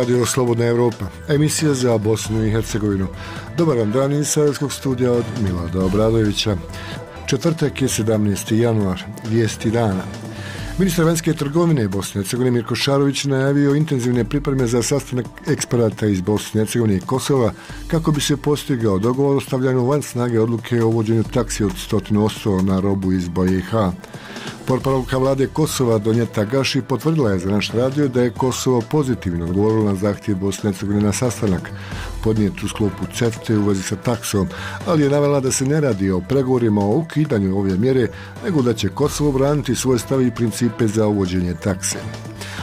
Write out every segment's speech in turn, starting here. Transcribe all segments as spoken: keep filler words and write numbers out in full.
Radio Slobodna Evropa, emisija za Bosnu i Hercegovinu. Dobar vam dan iz Sarajevskog studija od Milada Obradovića. Četvrtak je sedamnaesti januar, vijesti dana. Ministar vanjske trgovine Bosne i Hercegovine Mirko Šarović najavio intenzivne pripreme za sastanak eksperata iz Bosne i Hercegovine i Kosova kako bi se postigao dogovor o stavljanju van snage odluke o uvođenju taksi od sto posto na robu iz B i H. Portparolka vlade Kosova Donjeta Gaši potvrdila je za naš radio da je Kosovo pozitivno odgovorilo na zahtjev Bosne i Hercegovine na sastanak podnijet u sklopu CEFTA u vezi sa taksom, ali je navela da se ne radi o pregovorima o ukidanju ove mjere, nego da će Kosovo braniti svoje stavi i principe za uvođenje takse.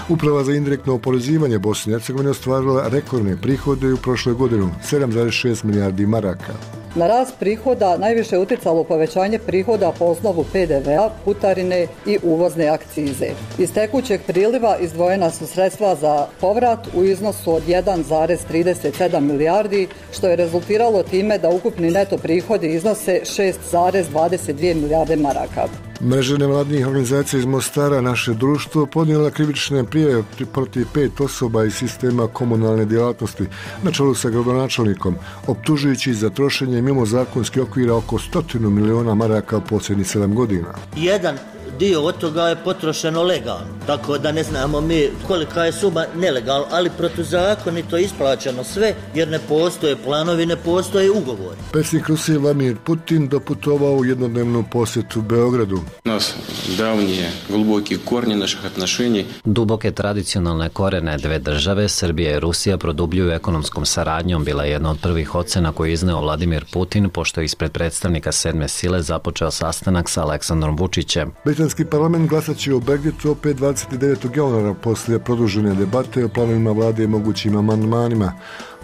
Uprava za indirektno oporezivanje Bosne i Hercegovine ostvarila rekordne prihode u prošloj godini, sedam zarez šest milijardi maraka. Na rast prihoda najviše je utjecalo povećanje prihoda po osnovu P D V a, putarine i uvozne akcize. Iz tekućeg priliva izdvojena su sredstva za povrat u iznosu od jedan zarez trideset sedam milijardi, što je rezultiralo time da ukupni neto prihodi iznose šest zarez dvadeset dvije milijarde maraka. Mreža nevladnih organizacija iz Mostara Naše društvo podnijela krivične prijave protiv pet osoba iz sistema komunalne djelatnosti na čelu sa gradonačelnikom, optužujući za trošenje mimo zakonskih okvira oko stotinu miliona maraka u posljednjih sedam godina. Jedan dio od toga je potrošeno legalno, tako da ne znamo mi kolika je suma nelegalna, ali protuzakonito isplaćeno sve jer ne postoje planovi, ne postoje ugovori. Predsjednik Rusije Vladimir Putin doputovao u jednodnevnu posjetu Beogradu. Nas davnije, глубокие корни naših отношений. Duboke tradicionalne korene dve države, Srbija i Rusija, produbljuju ekonomskom saradnjom, bila je jedna od prvih ocena koju je izneo Vladimir Putin, pošto je ispred predstavnika sedme sile započeo sastanak sa Aleksandrom Vučićem. Britanski parlament glasat će o Brexitu opet dvadeset devetog januara poslije produžene debate o planovima vlade i mogućim amandmanima.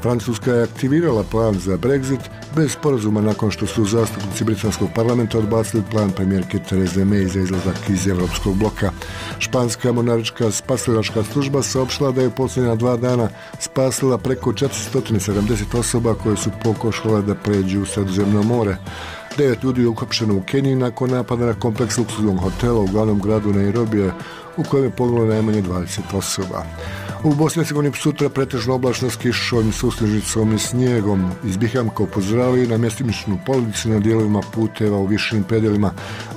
Francuska je aktivirala plan za Brexit bez sporazuma nakon što su zastupnici britanskog parlamenta odbacili plan premijerke Therese May za izlazak iz Evropskog bloka. Španska monarhička spasilačka služba saopštila da je u posljednja dva dana spasila preko četiristo sedamdeset osoba koje su pokušale da pređu u Sredozemno more. Devet ljudi je uhapšeno u Keniji nakon napada na kompleks luksuznog hotela u glavnom gradu Nairobija, u kojem je poginulo najmanje dvadeset osoba. U Bosni i Hercegovini sutra pretežno oblačno s kišom, susnežicom i snijegom. Iz Bihamka upozoravaju na mjestimičnu poledicu na dijelovima puteva u višim predelima.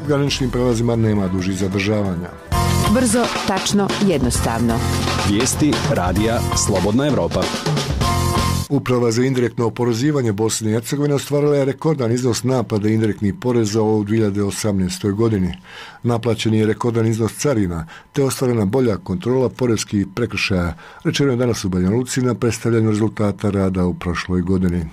U graničnim prelazima nema dužih zadržavanja. Brzo, tačno, jednostavno. Vijesti radija Slobodna Evropa. Uprava za indirektno oporezivanje Bosne i Hercegovine ostvarila je rekordan iznos naplate indirektnih poreza u dvije hiljade osamnaestoj. godini. Naplaćen je rekordan iznos carina, te ostvarena bolja kontrola poreskih prekršaja, rečeno je danas u Banja Luci na predstavljanju rezultata rada u prošloj godini.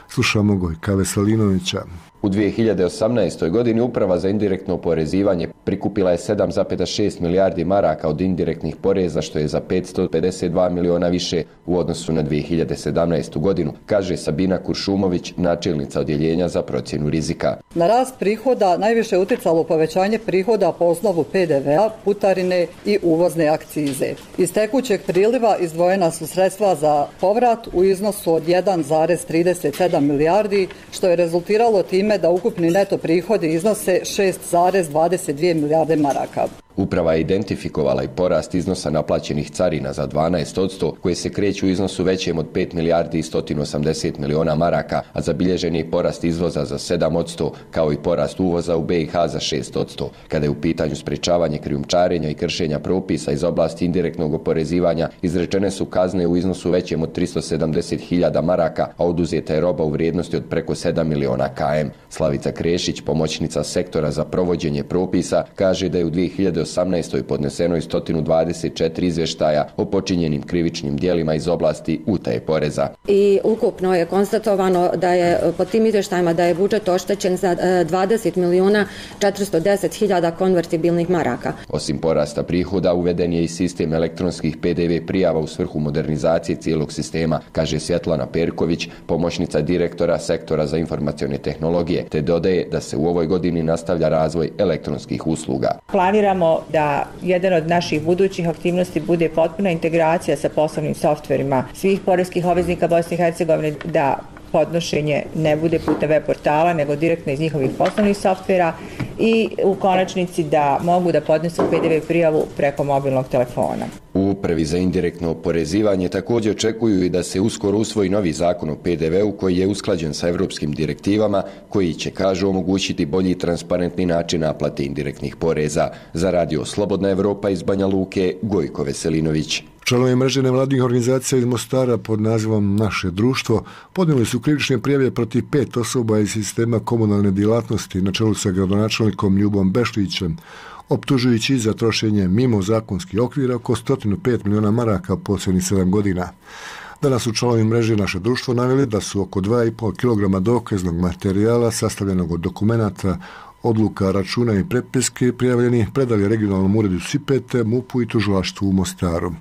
Slušamo Gojka Veselinovića. U dvije hiljade osamnaestoj. godini Uprava za indirektno oporezivanje prikupila je sedam zarez šest milijardi maraka od indirektnih poreza, što je za petsto pedeset dva miliona više u odnosu na dvije hiljade sedamnaestu. godinu, kaže Sabina Kuršumović, načelnica odjeljenja za procjenu rizika. Na rast prihoda najviše je utjecalo povećanje prihoda po osnovu P D V a, putarine i uvozne akcize. Iz tekućeg priliva izdvojena su sredstva za povrat u iznosu od jedan zarez trideset sedam milijardi, što je rezultiralo time da ukupni neto prihodi iznose šest zarez dvadeset dvije milijarde maraka. Uprava je identifikovala i porast iznosa naplaćenih carina za dvanaest posto, koje se kreću u iznosu većem od pet milijardi i sto osamdeset miliona maraka, a zabilježen je porast izvoza za sedam posto, kao i porast uvoza u B i H za šest posto. Kada je u pitanju sprečavanje krijumčarenja i kršenja propisa iz oblasti indirektnog oporezivanja, izrečene su kazne u iznosu većem od tristo sedamdeset hiljada maraka, a oduzeta je roba u vrijednosti od preko sedam miliona kilometara. Slavica Krešić, pomoćnica sektora za provođenje propisa, kaže da je u dvije hiljade osamnaestoj. podneseno je sto dvadeset četiri izvještaja o počinjenim krivičnim djelima iz oblasti utaje poreza. I ukupno je konstatovano da je po tim izvještajima da je budžet oštećen za dvadeset milijuna četiristo deset hiljada konvertibilnih maraka. Osim porasta prihoda, uveden je i sistem elektronskih P D V prijava u svrhu modernizacije cijelog sistema, kaže Svjetlana Perković, pomoćnica direktora sektora za informacione tehnologije, te dodaje da se u ovoj godini nastavlja razvoj elektronskih usluga. Planiramo da jedan od naših budućih aktivnosti bude potpuna integracija sa poslovnim softverima svih poreskih obveznika Bosne i Hercegovine, da podnošenje ne bude putem web portala, nego direktno iz njihovih poslovnih softvera i u konačnici da mogu da podnesu P D V prijavu preko mobilnog telefona. U upravi za indirektno oporezivanje također očekuju i da se uskoro usvoji novi zakon o P D V-u koji je usklađen sa evropskim direktivama koji će, kažu, omogućiti bolji i transparentni način naplate indirektnih poreza. Za Radio Slobodna Evropa iz Banja Luke, Gojko Veselinović. Članovi mreže nevladnih organizacija iz Mostara pod nazivom Naše društvo podnijeli su krivične prijave protiv pet osoba iz sistema komunalne djelatnosti na čelu sa gradonačelnikom Ljubom Bešlićem, optužujući za trošenje mimo zakonskih okvira oko sto pet miliona maraka posljednjih sedam godina. Danas su članovi mreže Naše društvo naveli da su oko dva i pol kilograma dokaznog materijala sastavljenog od dokumenata, odluka, računa i prepiske prijavljeni predali regionalnom uredu Sipete, MUP-u i tužilaštvu u Mostaru.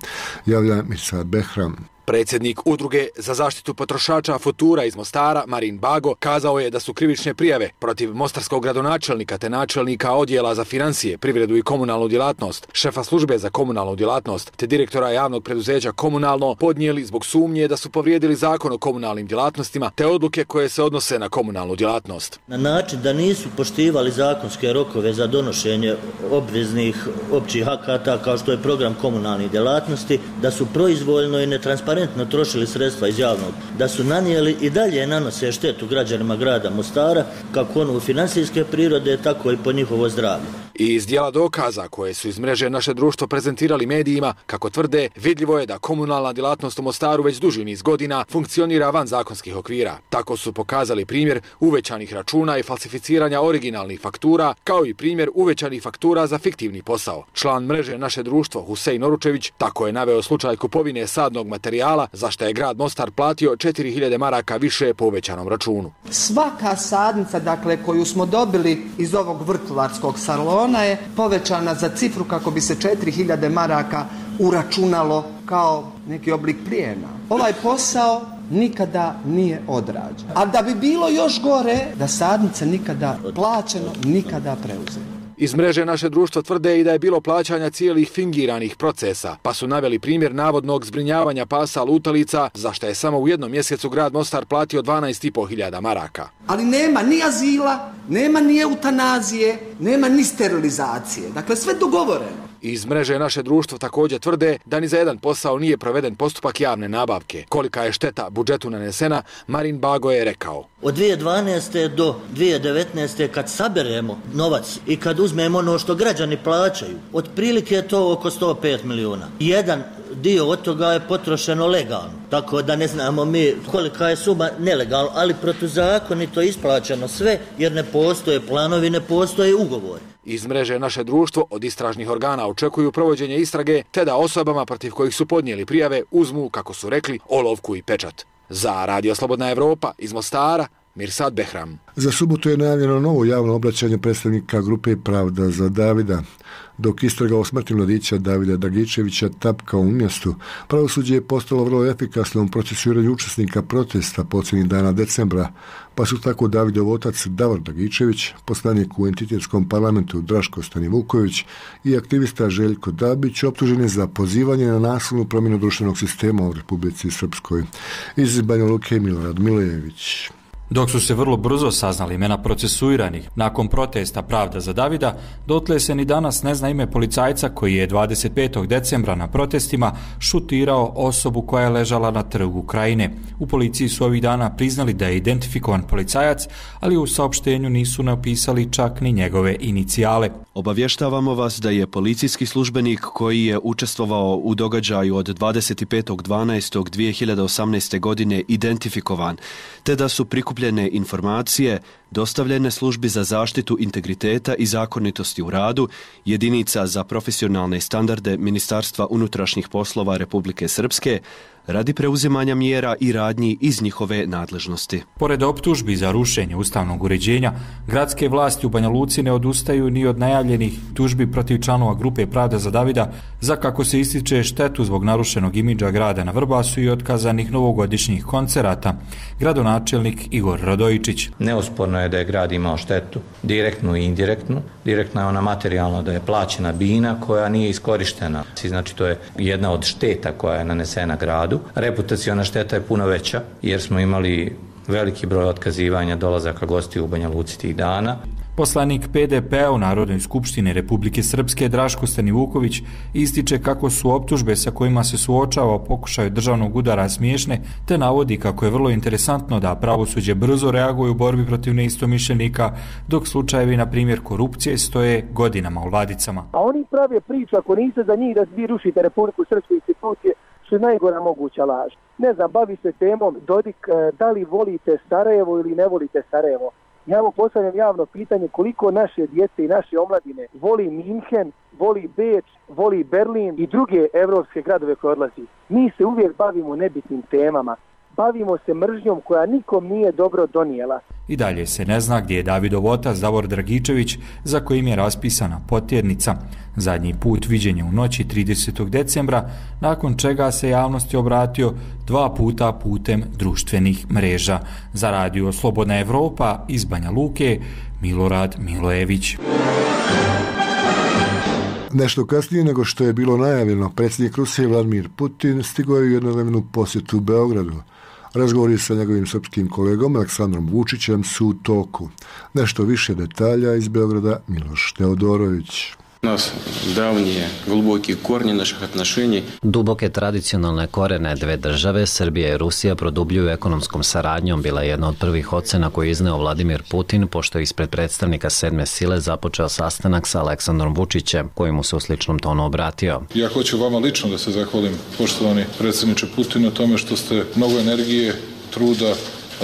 Javlja Mirsad Behram. Predsjednik Udruge za zaštitu potrošača Futura iz Mostara, Marin Bago, kazao je da su krivične prijave protiv mostarskog gradonačelnika te načelnika odjela za financije, privredu i komunalnu djelatnost, šefa službe za komunalnu djelatnost te direktora javnog preduzeća Komunalno podnijeli zbog sumnje da su povrijedili zakon o komunalnim djelatnostima te odluke koje se odnose na komunalnu djelatnost. Na način da nisu poštivali zakonske rokove za donošenje obveznih općih akata kao što je program komunalnih djelatnosti, da su proizvoljno i netransparentno trošili sredstva iz javnog, da su nanijeli i dalje nanose štetu građanima grada Mostara, kako onu financijske prirode, tako i po njihovo zdravlje. I iz dijela dokaza koje su iz mreže Naše društvo prezentirali medijima, kako tvrde, vidljivo je da komunalna djelatnost u Mostaru već duži niz godina funkcionira van zakonskih okvira. Tako su pokazali primjer uvećanih računa i falsificiranja originalnih faktura, kao i primjer uvećanih faktura za fiktivni posao. Član mreže Naše društvo Husein Oručević tako je naveo slučaj kupovine sadnog materijala za što je grad Mostar platio četiri hiljade maraka više po uvećanom računu. Svaka sadnica, dakle, koju smo dobili iz ovog vrtlarskog salona je povećana za cifru kako bi se četiri hiljade maraka uračunalo kao neki oblik plijena. Ovaj posao nikada nije odrađen. A da bi bilo još gore, da sadnice nikada plaćeno, nikada preuzelo. Iz mreže Naše društvo tvrde i da je bilo plaćanja cijelih fingiranih procesa, pa su naveli primjer navodnog zbrinjavanja pasa lutalica, za što je samo u jednom mjesecu grad Mostar platio dvanaest i pol hiljada maraka. Ali nema ni azila, nema ni eutanazije, nema ni sterilizacije. Dakle, sve dogovoreno. Iz mreže Naše društvo također tvrde da ni za jedan posao nije proveden postupak javne nabavke. Kolika je šteta budžetu nanesena, Marin Bago je rekao. Od dvije tisuće dvanaeste do dvije tisuće devetnaeste kad saberemo novac i kad uzmemo ono što građani plaćaju, otprilike je to oko sto pet miliona. Jedan dio od toga je potrošeno legalno, tako da ne znamo mi kolika je suma nelegalno, ali protuzakonito isplaćeno sve jer ne postoje planovi, ne postoje ugovori. Iz mreže Naše društvo od istražnih organa očekuju provođenje istrage te da osobama protiv kojih su podnijeli prijave uzmu, kako su rekli, olovku i pečat. Za Radio Slobodna Evropa iz Mostara, Mirsad Behram. Za subotu je najavljeno novo javno obraćanje predstavnika grupe Pravda za Davida. Dok istraga o smrti mladića Davida Dragičevića tapka u mjestu, pravosuđe je postalo vrlo efikasno u procesuiranju učesnika protesta posljednjih dana decembra, pa su tako Davidov otac Davor Dragičević, poslanik u entitetskom parlamentu Draško Stanivuković i aktivista Željko Dabić optuženi za pozivanje na nasilnu promjenu društvenog sistema u Republici Srpskoj. Iz Banja Luke Milorad Milejević. Dok su se vrlo brzo saznali imena procesuiranih nakon protesta Pravda za Davida, dotle se ni danas ne zna ime policajca koji je dvadeset petog decembra na protestima šutirao osobu koja je ležala na trgu Krajine. U policiji su ovih dana priznali da je identifikovan policajac, ali u saopštenju nisu napisali čak ni njegove inicijale. Obavještavamo vas da je policijski službenik koji je učestvovao u događaju od dvadeset petog dvanaestog dvije hiljade osamnaeste. godine identifikovan, te da su prikupljene informacije dostavljene službi za zaštitu integriteta i zakonitosti u radu, jedinica za profesionalne standarde Ministarstva unutrašnjih poslova Republike Srpske, radi preuzimanja mjera i radnji iz njihove nadležnosti. Pored optužbi za rušenje ustavnog uređenja, gradske vlasti u Banja Luci ne odustaju ni od najavljenih tužbi protiv članova grupe Pravda za Davida, za, kako se ističe, štetu zbog narušenog imidža grada na Vrbasu i otkazanih novogodišnjih koncerata. Gradonačelnik Igor Radojičić. Neosporno je da je grad imao štetu, direktnu i indirektnu. Direktna je ona materijalna, da je plaćena bina koja nije iskorištena. Znači, to je jedna od šteta koja je nanesena gradu. Reputaciona šteta je puno veća jer smo imali veliki broj otkazivanja dolazaka gostiju u Banja Luci tih dana. Poslanik P D P-a u Narodnoj skupštini Republike Srpske Draško Stanivuković ističe kako su optužbe sa kojima se suočava o pokušaju državnog udara smiješne, te navodi kako je vrlo interesantno da pravosuđe brzo reaguje u borbi protiv neistomišljenika, dok slučajevi, na primjer korupcije, stoje godinama u ladicama. A oni prave priču, ako niste za njih da vi rušite Republiku Srpske institucije, što je najgora moguća laž. Ne znam, bavi se temom Dodik, da li volite Sarajevo ili ne volite Sarajevo. Ja mu postavljam javno pitanje koliko naše djece i naše omladine voli Minhen, voli Beč, voli Berlin i druge evropske gradove koje odlazi. Mi se uvijek bavimo nebitnim temama. Bavimo se mržnjom koja nikom nije dobro donijela. I dalje se ne zna gdje je Davidov otac Davor Dragičević, za kojim je raspisana potjernica. Zadnji put viđen je u noći tridesetog decembra, nakon čega se javnosti obratio dva puta putem društvenih mreža. Za radio Slobodna Evropa iz Banja Luke, Milorad Milojević. Nešto kasnije nego što je bilo najavljeno, predsjednik Rusije Vladimir Putin stigao je u jednodnevnu posjetu u Beogradu. Razgovori sa njegovim srpskim kolegom Aleksandrom Vučićem su u toku. Nešto više detalja iz Beograda Miloš Teodorović. Nas davnije, глубокие корни naših отношений. Duboke tradicionalne korene dve države, Srbija i Rusija, produbljuju ekonomskom saradnjom, bila je jedna od prvih ocena koju je izneo Vladimir Putin, pošto je ispred predstavnika sedme sile započeo sastanak sa Aleksandrom Vučićem, koji mu se u sličnom tonu obratio. Ja hoću vama lično da se zahvalim, poštovani predsjedniče Putin, na tome što ste mnogo energije, truda,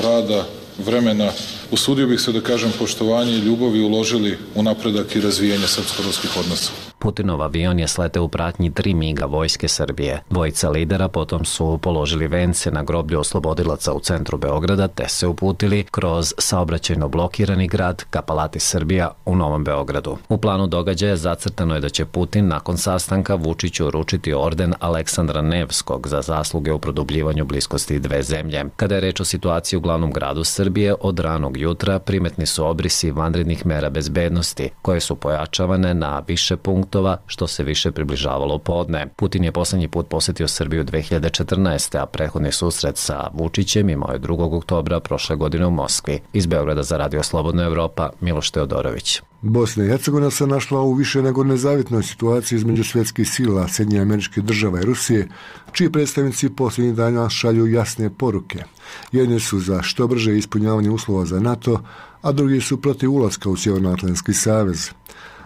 rada, vremena, usudio bih se da kažem poštovanje i ljubavi uložili u napredak i razvijanje srpsko-ruskih odnosa. Putinov avion je sleteo u pratnji tri miga vojske Srbije. Dvojica lidera potom su položili vence na groblju oslobodilaca u centru Beograda, te se uputili kroz saobraćajno blokirani grad ka Palati Srbija u Novom Beogradu. U planu događaja zacrtano je da će Putin nakon sastanka Vučiću uručiti orden Aleksandra Nevskog za zasluge u produbljivanju bliskosti dve zemlje. Kada je reč o situaciji u glavnom gradu Srbije, od ranog jutra primetni su obrisi vanrednih mera bezbednosti, koje su pojačavane na više punktova, što se više približavalo podne. Putin je poslednji put posjetio Srbiju dve hiljade četrnaeste. a prethodni susret sa Vučićem imao je drugog oktobra prošle godine u Moskvi. Iz Beograda za radio Slobodna Evropa, Miloš Teodorović. Bosna i Hercegovina se našla u više nego nezavitnoj situaciji između svjetskih sila, Sjedinjenih Američkih Država i Rusije, čiji predstavnici posljednjih dana šalju jasne poruke. Jedni su za što brže ispunjavanje uslova za NATO, a drugi su protiv ulaska u Sjevernoatlantski savez.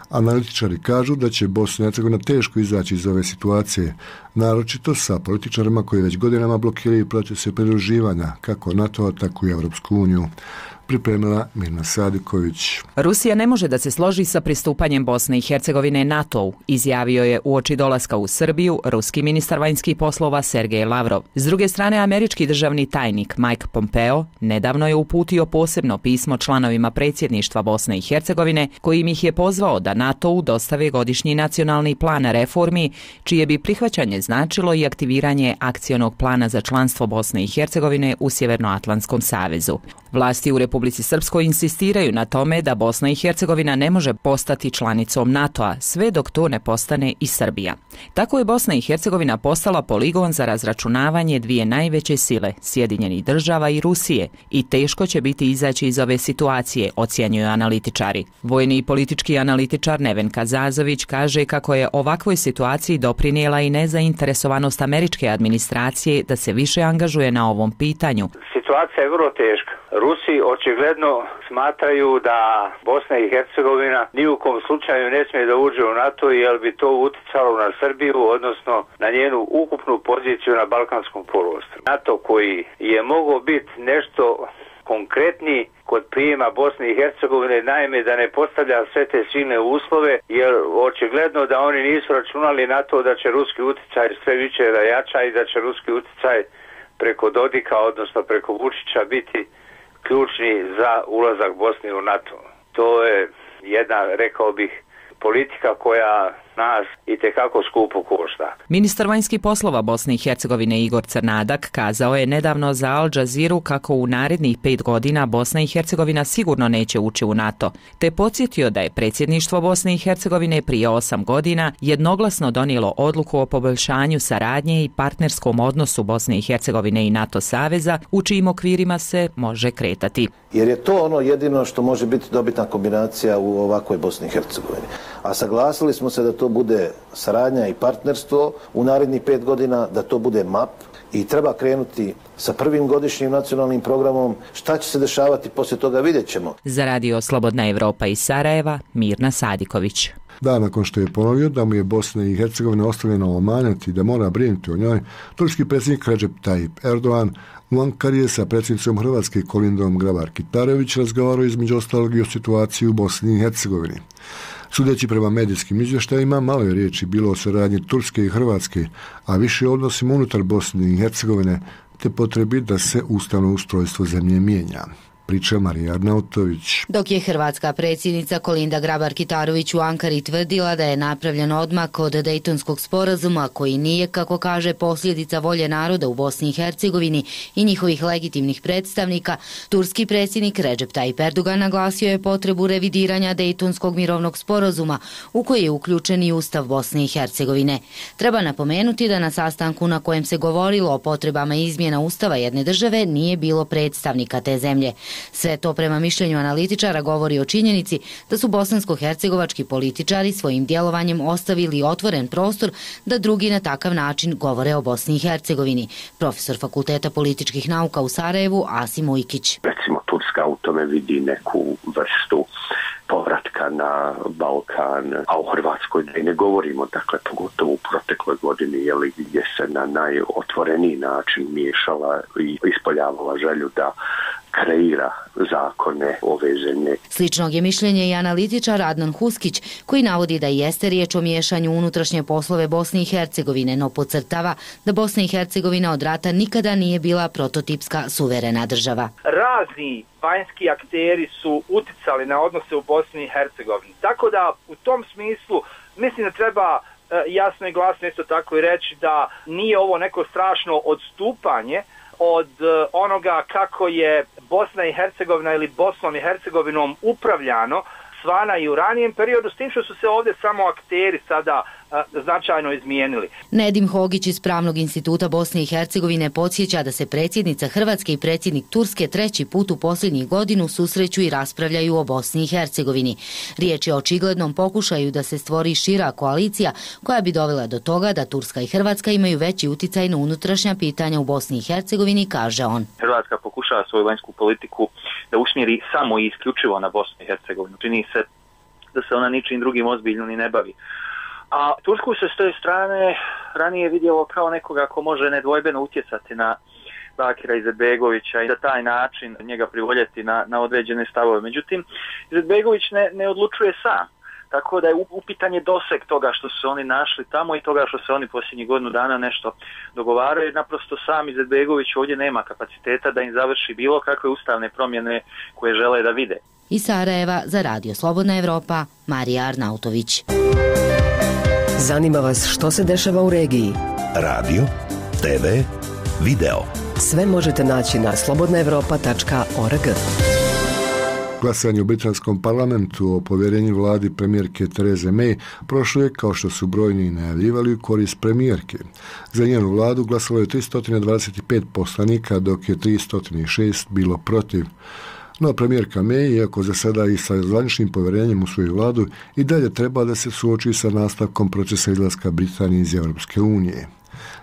Analitičari kažu da će Bosna i Hercegovina teško izaći iz ove situacije, naročito sa političarima koji već godinama blokiraju procese pridruživanja, kako NATO, tako i Evropsku uniju. Pripremila Mirna Sadiković. Rusija ne može da se složi sa pristupanjem Bosne i Hercegovine NATO-u, izjavio je uoči dolaska u Srbiju ruski ministar vanjskih poslova Sergej Lavrov. S druge strane, američki državni tajnik Mike Pompeo nedavno je uputio posebno pismo članovima predsjedništva Bosne i Hercegovine, kojim ih je pozvao da NATO-u dostave godišnji nacionalni plan reformi, čije bi prihvaćanje značilo i aktiviranje akcionog plana za članstvo Bosne i Hercegovine u Sjevernoatlantskom savezu. Vlasti u Republici Srpskoj insistiraju na tome da Bosna i Hercegovina ne može postati članicom NATO-a, sve dok to ne postane i Srbija. Tako je Bosna i Hercegovina postala poligon za razračunavanje dvije najveće sile, Sjedinjenih Država i Rusije, i teško će biti izaći iz ove situacije, ocjenjuju analitičari. Vojni i politički analitičar Nevenka Zazović kaže kako je ovakvoj situaciji doprinijela i nezainteresovanost američke administracije da se više angažuje na ovom pitanju. Situacija je vrlo teška. Rusi očigledno smatraju da Bosna i Hercegovina ni u kom slučaju ne smije da uđe u NATO, jer bi to uticalo na Srbiju, odnosno na njenu ukupnu poziciju na Balkanskom poluostrvu. NATO koji je mogao biti nešto konkretniji kod prijema Bosne i Hercegovine, naime da ne postavlja sve te silne uslove, jer očigledno da oni nisu računali na to da će ruski uticaj sve više da jača i da će ruski uticaj preko Dodika, odnosno preko Vučića, biti ključni za ulazak Bosne u NATO. To je jedna, rekao bih, politika koja nas i tekako skupo košta. Ministar vanjskih poslova Bosne i Hercegovine Igor Crnadak kazao je nedavno za Al Jazeeru kako u narednih pet godina Bosna i Hercegovina sigurno neće ući u NATO, te podsjetio da je predsjedništvo Bosne i Hercegovine prije osam godina jednoglasno donijelo odluku o poboljšanju saradnje i partnerskom odnosu Bosne i Hercegovine i NATO saveza, u čijim okvirima se može kretati. Jer je to ono jedino što može biti dobitna kombinacija u ovakvoj Bosni i Hercegovini. A saglasili smo se da to bude saradnja i partnerstvo u narednih pet godina, da to bude M A P i treba krenuti sa prvim godišnjim nacionalnim programom. Šta će se dešavati poslije toga, vidjet ćemo. Za radio Slobodna Evropa iz Sarajeva, Mirna Sadiković. Da, nakon što je ponovio da mu je Bosna i Hercegovina ostavljena omanjati i da mora brinuti o njoj, turski predsjednik Recep Tayyip Erdogan u Ankari je sa predsjednicom Hrvatske Kolindom Grabar-Kitarović razgovarao između ostalog i o situaciji u Bosni i Hercegovini. Sudeći prema medijskim izvještajima, malo je riječi bilo o saradnji Turske i Hrvatske, a više o odnosima unutar Bosne i Hercegovine, te potrebi da se ustavno ustrojstvo zemlje mijenja. Priča Marija Arnautović. Dok je hrvatska predsjednica Kolinda Grabar-Kitarović u Ankari tvrdila da je napravljen odmak od Dejtonskog sporazuma koji nije, kako kaže, posljedica volje naroda u Bosni i Hercegovini i njihovih legitimnih predstavnika, turski predsjednik Recep Tayyip Erdogan naglasio je potrebu revidiranja Dejtonskog mirovnog sporazuma u koji je uključen i Ustav Bosne i Hercegovine. Treba napomenuti da na sastanku na kojem se govorilo o potrebama izmjena Ustava jedne države nije bilo predstavnika te zemlje. Sve to prema mišljenju analitičara govori o činjenici da su bosansko-hercegovački političari svojim djelovanjem ostavili otvoren prostor da drugi na takav način govore o Bosni i Hercegovini. Profesor Fakulteta političkih nauka u Sarajevu Asim Ujkić. Recimo Turska u tome vidi neku vrstu povratka na Balkan, a u Hrvatskoj da i ne govorimo, dakle pogotovo u protekloj godini, jeli, gdje se na najotvoreniji način miješala i ispoljavala želju da kreira zakone ove zemlje. Sličnog je mišljenje i analitičar Adnan Huskić, koji navodi da jeste riječ o miješanju unutrašnje poslove Bosne i Hercegovine, no podcrtava da Bosna i Hercegovina od rata nikada nije bila prototipska suverena država. Razni vanjski akteri su uticali na odnose u Bosni i Hercegovini. Tako da u tom smislu mislim da treba jasno i glasno isto tako i reći da nije ovo neko strašno odstupanje od onoga kako je Bosna i Hercegovina ili Bosnom i Hercegovinom upravljano svana i u ranijem periodu, s tim što su se ovdje samo akteri sada a, značajno izmijenili. Nedim Hogić iz Pravnog instituta Bosne i Hercegovine podsjeća da se predsjednica Hrvatske i predsjednik Turske treći put u posljednjih godinu susreću i raspravljaju o Bosni i Hercegovini. Riječ je o očiglednom pokušaju da se stvori šira koalicija koja bi dovela do toga da Turska i Hrvatska imaju veći uticaj na unutrašnja pitanja u Bosni i Hercegovini, kaže on. Hrvatska pokušava svoju vanjsku politiku da usmjeri samo i isključivo na Bosnu i Hercegovinu. Čini se da se ona ničim drugim ozbiljno ni ne bavi. A Tursku se s te strane ranije vidjelo kao nekoga ko može nedvojbeno utjecati na Bakira Izetbegovića i da taj način njega privoljeti na, na određene stavove. Međutim, Izetbegović ne, ne odlučuje sam. Tako da je upitan je doseg toga što su se oni našli tamo i toga što se oni posljednjih godinu dana nešto dogovaraju. Naprosto sam Izetbegović ovdje nema kapaciteta da im završi bilo kakve ustavne promjene koje žele da vide. Iz Sarajeva za radio Slobodna Evropa, Marija Arnautović. Zanima vas što se dešava u regiji? Radio, te ve, video. Sve možete naći na slobodna evropa tačka org. Glasanje u britanskom parlamentu o povjerenju vladi premijerke Therese May prošlo je, kao što su brojni najavljivali, u korist premijerke. Za njenu vladu glasalo je tristo dvadeset pet poslanika, dok je tristo šest bilo protiv. No premijerka May, iako za sada i sa zvaničnim povjerenjem u svoju vladu, i dalje treba da se suoči sa nastavkom procesa izlaska Britanije iz Europske unije.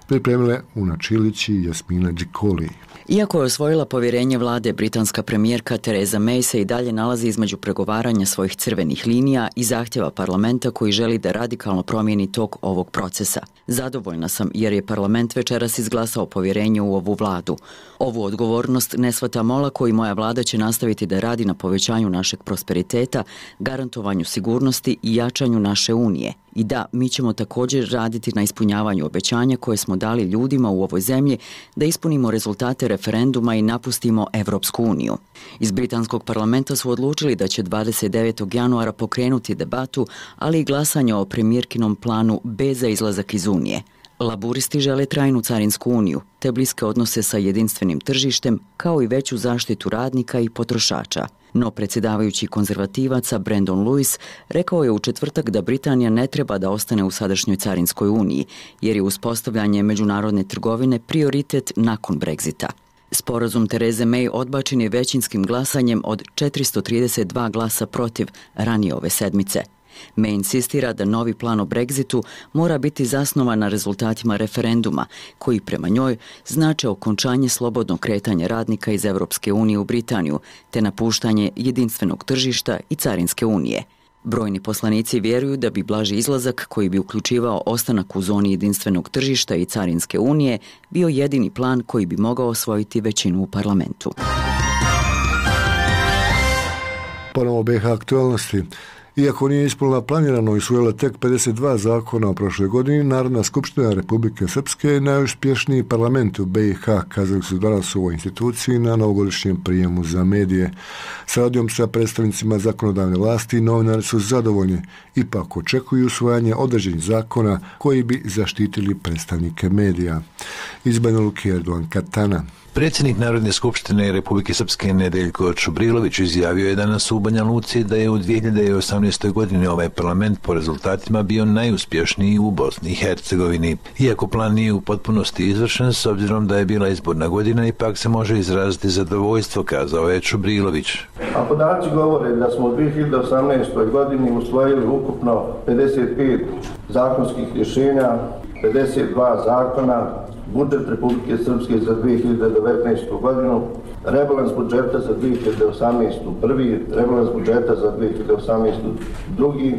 Pripremile Una Čilić i Jasmina Đikoli. Iako je osvojila povjerenje vlade, britanska premijerka Theresa May se i dalje nalazi između pregovaranja svojih crvenih linija i zahtjeva parlamenta koji želi da radikalno promijeni tok ovog procesa. Zadovoljna sam jer je parlament večeras izglasao povjerenje u ovu vladu. Ovu odgovornost ne shvatam olako i moja vlada će nastaviti da radi na povećanju našeg prosperiteta, garantovanju sigurnosti i jačanju naše unije. I da, mi ćemo također raditi na ispunjavanju obećanja koje smo dali ljudima u ovoj zemlji da ispunimo rezultate referenduma i napustimo Evropsku uniju. Iz britanskog parlamenta su odlučili da će dvadeset devetog januara pokrenuti debatu, ali i glasanje o premijerkinom planu B za izlazak iz Unije. Laburisti žele trajnu carinsku uniju, te bliske odnose sa jedinstvenim tržištem, kao i veću zaštitu radnika i potrošača. No predsjedavajući konzervativaca Brandon Lewis rekao je u četvrtak da Britanija ne treba da ostane u sadašnjoj carinskoj uniji, jer je uspostavljanje međunarodne trgovine prioritet nakon Brexita. Sporazum Tereze May odbačen je većinskim glasanjem od četiristo trideset dva glasa protiv ranije ove sedmice. May insistira da novi plan o Brexitu mora biti zasnovan na rezultatima referenduma, koji prema njoj znače okončanje slobodnog kretanja radnika iz Evropske unije u Britaniju, te napuštanje jedinstvenog tržišta i carinske unije. Brojni poslanici vjeruju da bi blaži izlazak, koji bi uključivao ostanak u zoni jedinstvenog tržišta i carinske unije, bio jedini plan koji bi mogao osvojiti većinu u parlamentu. Ponovo B iH aktualnosti. Iako nije ispunila planirano i usvojila tek pedeset dva zakona u prošloj godini, Narodna skupština Republike Srpske je najuspješniji parlament u B iH, kazali su danas u ovoj instituciji na novogodišnjem prijemu za medije. Saradnjom sa predstavnicima zakonodavne vlasti novinari su zadovoljni, ipak očekuju usvajanje određenih zakona koji bi zaštitili predstavnike medija. Iz Banja Luke, Erdogan Katana. Predsjednik Narodne skupštine Republike Srpske Nedeljko Čubrilović izjavio je danas u Banja Luci da je u dvije hiljade osamnaestoj. godini ovaj parlament po rezultatima bio najuspješniji u Bosni i Hercegovini. Iako plan nije u potpunosti izvršen, s obzirom da je bila izborna godina, ipak se može izraziti zadovoljstvo, kazao je Čubrilović. A podaci govore da smo u dvije hiljade osamnaestoj. godini usvojili ukupno pedeset pet zakonskih rješenja, pedeset dva zakona, budžet Republike Srpske za dvije hiljade devetnaestu. godinu, rebalans budžeta za dvije hiljade osamnaestu. prvi, rebalans budžeta za dvije hiljade osamnaestu. drugi,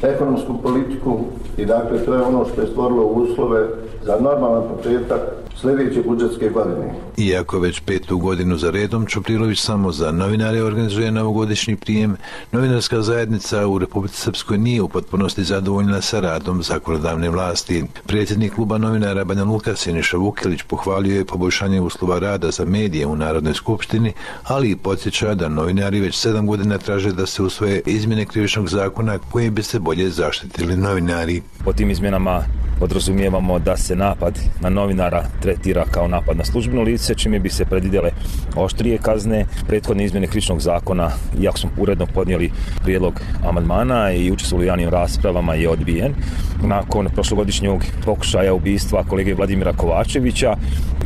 ekonomsku politiku i dakle to je ono što je stvorilo uslove za normalan početak sljedeće budžetske godine. Iako već petu godinu za redom Čuprilović samo za novinare organizuje novogodišnji prijem, novinarska zajednica u Republici Srpskoj nije u potpunosti zadovoljna sa radom zakonodavne vlasti. Predsjednik kluba novinara Banja Luka Siniša Vukilić pohvalio je poboljšanje uslova rada za medije u Narodnoj skupštini, ali i podsjeća da novinari već sedam godina traže da se usvoje izmjene krivičnog zakona koje bi se bolje zaštitili novinari. Po tim izmjenama podrazumijevamo da se napad na novinara tretira kao napad na službeno lice, čime bi se predvidjele oštrije kazne. Prethodne izmjene krivičnog zakona, iako smo uredno podnijeli prijedlog amandmana i učestvovali u javnim raspravama, je odbijen. Nakon prošlogodišnjeg pokušaja ubistva kolege Vladimira Kovačevića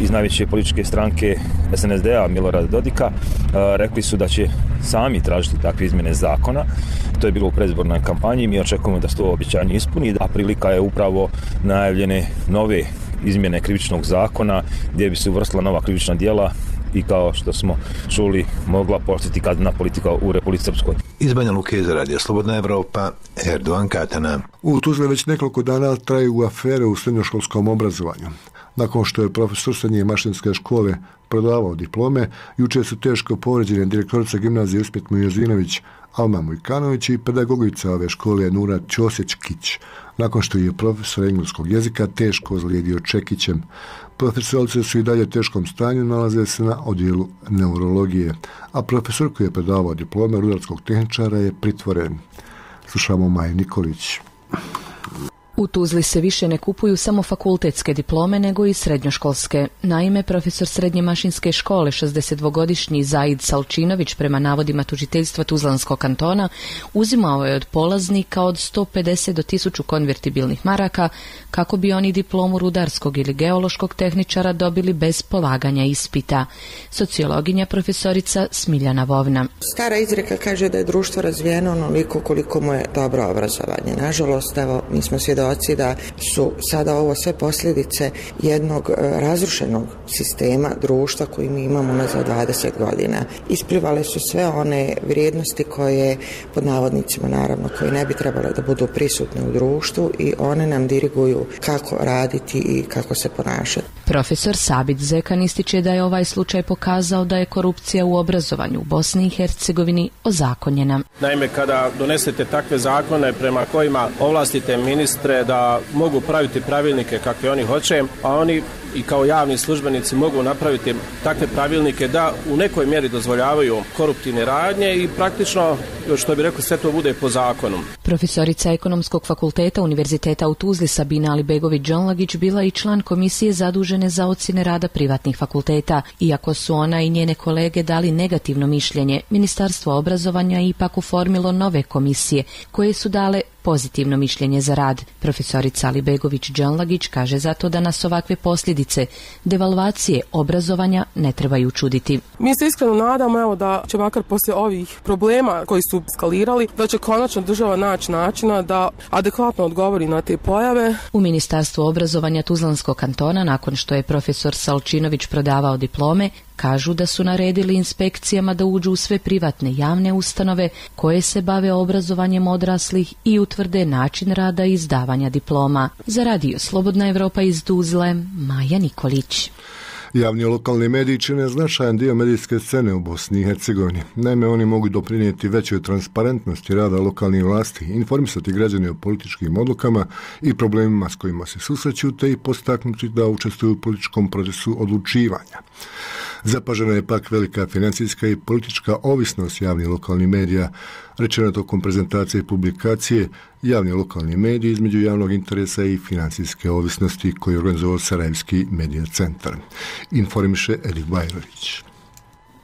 iz najveće političke stranke S N S D-a Milorada Dodika, rekli su da će sami tražiti takve izmjene zakona. To je bilo u predizbornoj kampanji, mi očekujemo da se to obećanje ispuni, a prilika je upravo najavljene nove izmjene krivičnog zakona gdje bi se uvrstila nova krivična djela i kao što smo čuli mogla postati kaznena politika u Republici Srpskoj. Iz Banja Luke za Radio Slobodna Evropa, Erdogan Katana. U Tuzli već nekoliko dana traju afere u srednjoškolskom obrazovanju. Nakon što je profesor srednje mašinske škole prodavao diplome, jučer su teško povređene direktorica gimnazije Uspjet Mujazinović Alma Mujkanović i pedagogica ove škole Nura Ćosić-Kić, nakon što je profesor engleskog jezika teško ozlijedio čekićem. Profesorice su i dalje u teškom stanju, nalaze se na odjelu neurologije, a profesor koji je predavao diplome rudarskog tehničara je pritvoren. Slušamo Maju Nikolić. U Tuzli se više ne kupuju samo fakultetske diplome, nego i srednjoškolske. Naime, profesor srednje mašinske škole, šezdesetdvogodišnji Zaid Salčinović, prema navodima tužiteljstva Tuzlanskog kantona, uzimao je od polaznika od sto pedeset do tisuću konvertibilnih maraka kako bi oni diplomu rudarskog ili geološkog tehničara dobili bez polaganja ispita. Sociologinja profesorica Smiljana Vovna. Stara izreka kaže da je društvo razvijeno onoliko koliko mu je dobro obrazovanje. Nažalost, evo, mi smo svjedoci svjedoci da su sada ovo sve posljedice jednog razrušenog sistema društva koji mi imamo unazad dvadeset godina. Isplivale su sve one vrijednosti koje, pod navodnicima naravno, koje ne bi trebale da budu prisutne u društvu i one nam diriguju kako raditi i kako se ponašati. Profesor Sabit Zekan ističe da je ovaj slučaj pokazao da je korupcija u obrazovanju u Bosni i Hercegovini ozakonjena. Naime, kada donesete takve zakone prema kojima ovlastite ministre da mogu praviti pravilnike kakve oni hoće, a oni i kao javni službenici mogu napraviti takve pravilnike da u nekoj mjeri dozvoljavaju koruptivne radnje i praktično, što bi rekli, sve to bude po zakonu. Profesorica Ekonomskog fakulteta Univerziteta u Tuzli Sabina Alibegović-Đonlagić bila i član komisije zadužene za ocjene rada privatnih fakulteta. Iako su ona i njene kolege dali negativno mišljenje, Ministarstvo obrazovanja je ipak oformilo nove komisije koje su dale pozitivno mišljenje za rad. Profesorica Alibegović-Đonlagić kaže zato da nas ovakve posljedice devalvacije obrazovanja ne trebaju čuditi. Mi se iskreno nadamo evo, da će makar poslije ovih problema koji su skalirali, da će konačno država naći načina da adekvatno odgovori na te pojave. U Ministarstvu obrazovanja Tuzlanskog kantona, nakon što je profesor Salčinović prodavao diplome, kažu da su naredili inspekcijama da uđu u sve privatne javne ustanove koje se bave obrazovanjem odraslih i utvrde način rada i izdavanja diploma. Za radio Slobodna Evropa iz Tuzle, Maja Nikolić. Javni lokalni mediji čine značajan dio medijske scene u Bosni i Hercegovini. Naime, oni mogu doprinijeti većoj transparentnosti rada lokalnih vlasti, informisati građane o političkim odlukama i problemima s kojima se susreću, te i postaknuti da učestvuju u političkom procesu odlučivanja. Zapažena je pak velika financijska i politička ovisnost javnih lokalnih medija, rečeno tokom prezentacije i publikacije javni lokalni mediji između javnog interesa i financijske ovisnosti koji je organizovao Sarajevski medija centar. Informiše Erik Bajrović.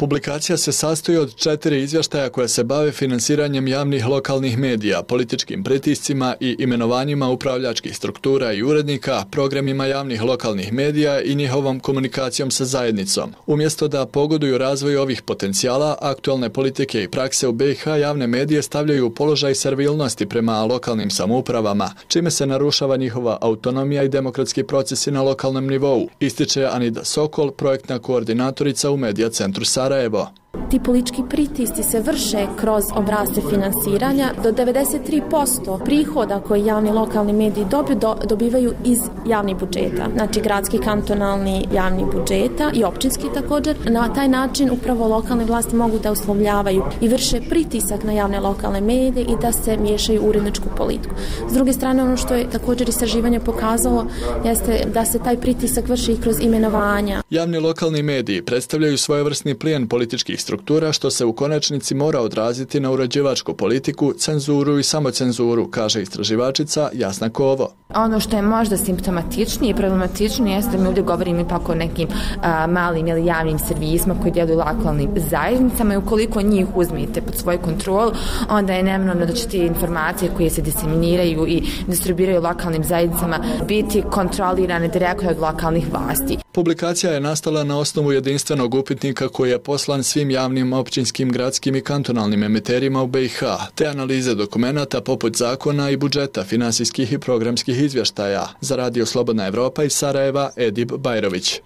Publikacija se sastoji od četiri izvještaja koja se bave finansiranjem javnih lokalnih medija, političkim pritiscima i imenovanjima upravljačkih struktura i urednika, programima javnih lokalnih medija i njihovom komunikacijom sa zajednicom. Umjesto da pogoduju razvoju ovih potencijala, aktualne politike i prakse u B i H javne medije stavljaju u položaj servilnosti prema lokalnim samoupravama, čime se narušava njihova autonomija i demokratski procesi na lokalnom nivou, ističe Anida Sokol, projektna koordinatorica u Medija centru Sarajevo. Sarajevo. Ti politički pritisci se vrše kroz obrasce finansiranja. Do devedeset tri posto prihoda koje javni lokalni mediji dobiju do, dobivaju iz javnih budžeta. Znači gradski, kantonalni javni budžeta i općinski također. Na taj način upravo lokalne vlasti mogu da uslovljavaju i vrše pritisak na javne lokalne medije i da se miješaju u uredničku politiku. S druge strane, ono što je također istraživanje pokazalo jeste da se taj pritisak vrši i kroz imenovanja. Javni lokalni mediji predstavljaju svojevrsni plijen političkih struktura što se u konačnici mora odraziti na uređivačku politiku, cenzuru i samocenzuru, kaže istraživačica Jasna Kovo. Ono što je možda simptomatičnije i problematičnije jeste da mi ovdje govorimo ipak o nekim a, malim ili javnim servisima koji djeluju lokalnim zajednicama i ukoliko njih uzmete pod svoju kontrolu, onda je neminovno da će te informacije koje se diseminiraju i distribuiraju lokalnim zajednicama biti kontrolirane direktno od lokalnih vlasti. Publikacija je nastala na osnovu jedinstvenog upitnika koji je poslan svim javnim, općinskim, gradskim i kantonalnim emiterima u B i H, te analize dokumenata poput zakona i budžeta, finansijskih i programskih izvještaja. Za radio Slobodna Evropa iz Sarajeva, Edip Bajrović.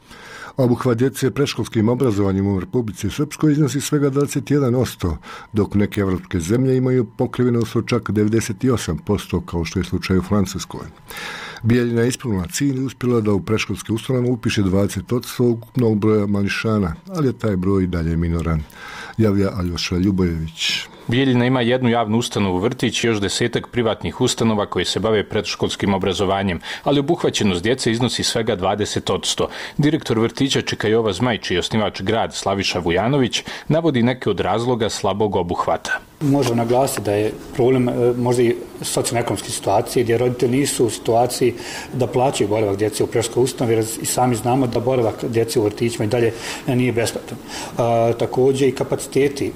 Obuhvat djece predškolskim obrazovanjem u Republici Srpskoj iznosi svega dvadeset jedan posto, dok neke evropske zemlje imaju pokrivenost od čak devedeset osam posto, kao što je slučaj u Francuskoj. Bijeljina je ispunila cilj i uspjela da u predškolske ustanove upiše dvadeset posto ukupnog broja mališana, ali je taj broj dalje minoran, javlja Aljoša Ljubojević. Bijeljina ima jednu javnu ustanovu vrtić i još desetak privatnih ustanova koje se bave predškolskim obrazovanjem, ali obuhvaćenost djece iznosi svega dvadeset posto. Direktor vrtića Čekajova Zmaj, čiji je osnivač grad Slaviša Vujanović, navodi neke od razloga slabog obuhvata. Možemo naglasiti da je problem možda i socijalno-ekonomske situacije gdje roditelji nisu u situaciji da plaćaju boravak djece u predškolskoj ustanovi, jer i sami znamo da boravak djece u vrtićima i dalje nije besplatan. A, također i kapaciteti,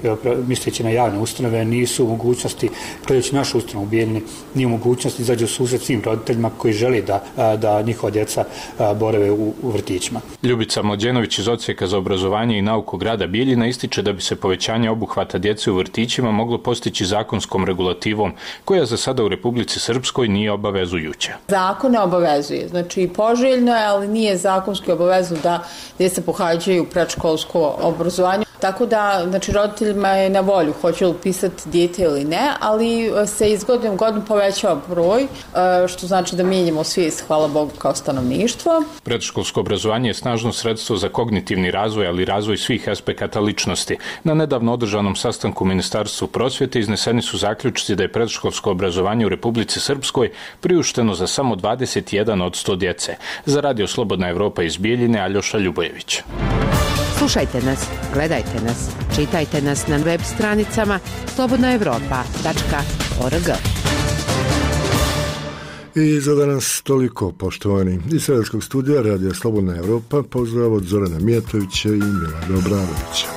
misleći na javne ustanove, nisu u mogućnosti, gledajući našu ustanovu u Bijeljini, nije u mogućnosti izađu u susret svim roditeljima koji želi da, da njihova djeca borave u, u vrtićima. Ljubica Mlađenović iz Odsjeka za obrazovanje i nauku grada Bijeljina ističe da bi se povećanje obuhvata djece u vrtićima moglo moglo postići zakonskom regulativom, koja za sada u Republici Srpskoj nije obavezujuća. Zakon ne obavezuje, znači poželjno je, ali nije zakonski obavezno da djeca pohađaju predškolsko obrazovanje. Tako da, znači, roditeljima je na volju, hoće li upisati dijete ili ne, ali se iz godine u godinu povećava broj, što znači da mijenjamo svijest, hvala Bogu, kao stanovništvo. Predškolsko obrazovanje je snažno sredstvo za kognitivni razvoj, ali i razvoj svih aspekata ličnosti. Na nedavno održanom sastanku u Ministarstvu prosvjete izneseni su zaključci da je predškolsko obrazovanje u Republici Srpskoj priušteno za samo dvadeset jedan od sto djece. Za Radio Slobodna Evropa iz Bijeljine, Aljoša Ljubojević. Slušajte nas, gledajte nas, čitajte nas na web stranicama slobodna evropa tačka org. I za danas toliko, poštovani. Iz Sredskog studija Radija Slobodna Evropa pozdrav od Zorana Mijatovića i Milana Obradovića.